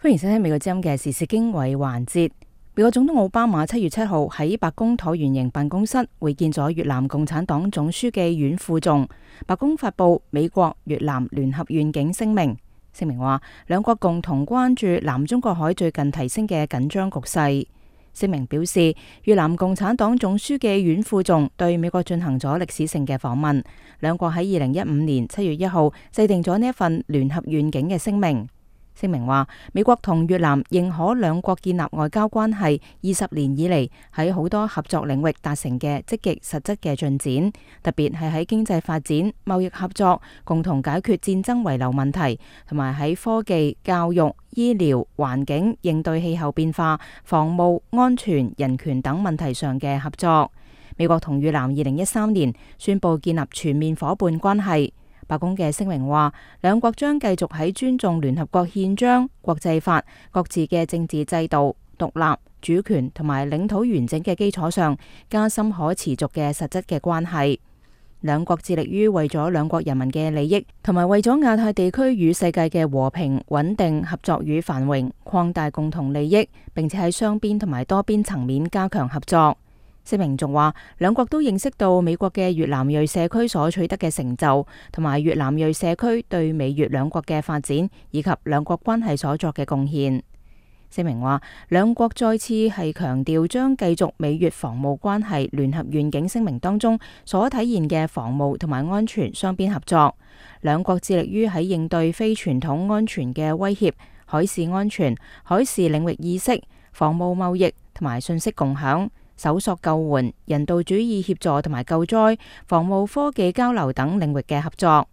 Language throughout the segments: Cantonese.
歡迎收聽美國之音嘅時事經緯環節。美國總統奧巴馬7月7號喺白宮橢圓形辦公室會見咗越南共產黨總書記阮富仲。白宮發布美國越南聯合願景聲明，聲明話兩國共同關注南中國海最近提升嘅緊張局勢。聲明表示，越南共產黨總書記阮富仲對美國進行咗歷史性嘅訪問，兩國喺2015年7月1號制定咗呢一份聯合願景嘅聲明。聲明話，美國同越南認可兩國建立外交關係20年以嚟喺好多合作領域達成嘅積極實質嘅進展，特別係喺經濟發展、貿易合作、共同解決戰爭遺留問題，同埋喺科技、教育、醫療、環境、應對氣候變化、防務、安全、人權等問題上嘅合作。美國同越南2013年宣布建立全面夥伴關係。白宮嘅聲明話，兩國將繼續喺尊重聯合國憲章、國際法、各自嘅政治制度、獨立、主權同埋領土完整嘅基礎上，加深可持續嘅實質嘅關係。兩國致力於為咗兩國人民嘅利益，同埋為咗亞太地區與世界嘅和平、穩定、合作與繁榮，擴大共同利益，並且喺雙邊同埋多邊層面加強合作。聲明仲話，兩國都認識到美國嘅越南裔社區所取得嘅成就，同埋越南裔社區對美越兩國嘅發展以及兩國關係所作嘅貢獻。聲明話，兩國再次係強調將繼續美越防務關係聯合願景聲明當中所體現嘅防務同埋安全雙邊合作。兩國致力於喺應對非傳統安全嘅威脅、海事安全、海事領域意識、防務貿易同埋信息共享、搜索救援、人道主義協助同埋救災、防務科技交流等領域嘅合作。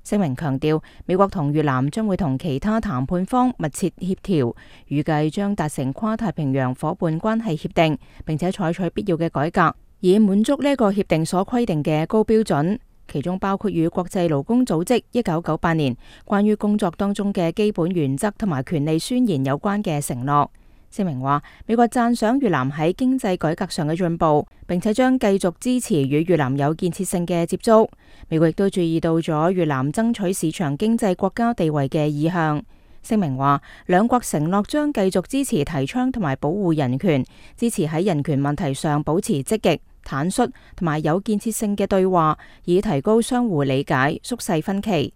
聲明強調，美國同越南將會同其他談判方密切協調，預計將達成跨太平洋夥伴關係協定，並且採取必要嘅改革，以滿足呢個協定所規定嘅高標準，其中包括與國際勞工組織1998年關於工作當中嘅基本原則同埋權利宣言有關嘅承諾。聲明話，美國讚賞越南喺經濟改革上嘅進步，並且將繼續支持與越南有建設性嘅接觸。美國亦都注意到咗越南爭取市場經濟國家地位嘅意向。聲明話，兩國承諾將繼續支持提倡同埋保護人權，支持喺人權問題上保持積極、坦率同埋有建設性嘅對話，以提高相互理解、縮細分歧。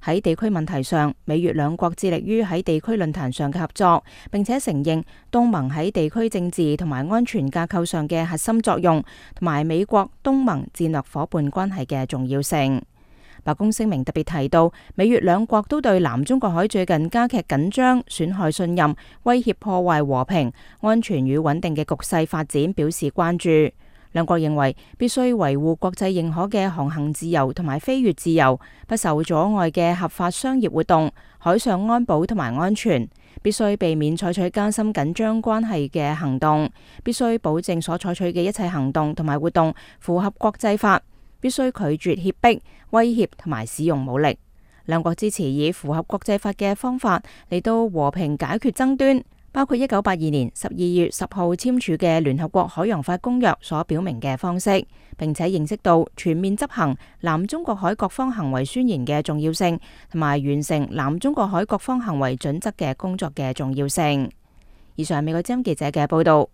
喺地區問題上，美越兩國致力於喺地區論壇上嘅合作，並且承認東盟喺地區政治同埋安全架構上嘅核心作用，同埋美國東盟戰略夥伴關係嘅重要性。白宮聲明特別提到，美越兩國都對南中國海最近加劇緊張、損害信任、威脅破壞和平、安全與穩定嘅局勢發展表示關注。兩國認為必須維護國際認可嘅航行自由同埋飛越自由，不受阻礙嘅合法商業活動、海上安保同埋安全，必須避免採取加深緊張關係嘅行動，必須保證所採取嘅一切行動同埋活動符合國際法，必須拒絕脅迫、威脅同埋使用武力。兩國支持以符合國際法嘅方法嚟到和平解決爭端，包括1982年12月10號簽署嘅聯合國海洋法公約所表明嘅方式，並且認識到全面執行南中國海各方行為宣言嘅重要性，同埋完成南中國海各方行為準則嘅工作嘅重要性。以上係美國之音記者嘅報道。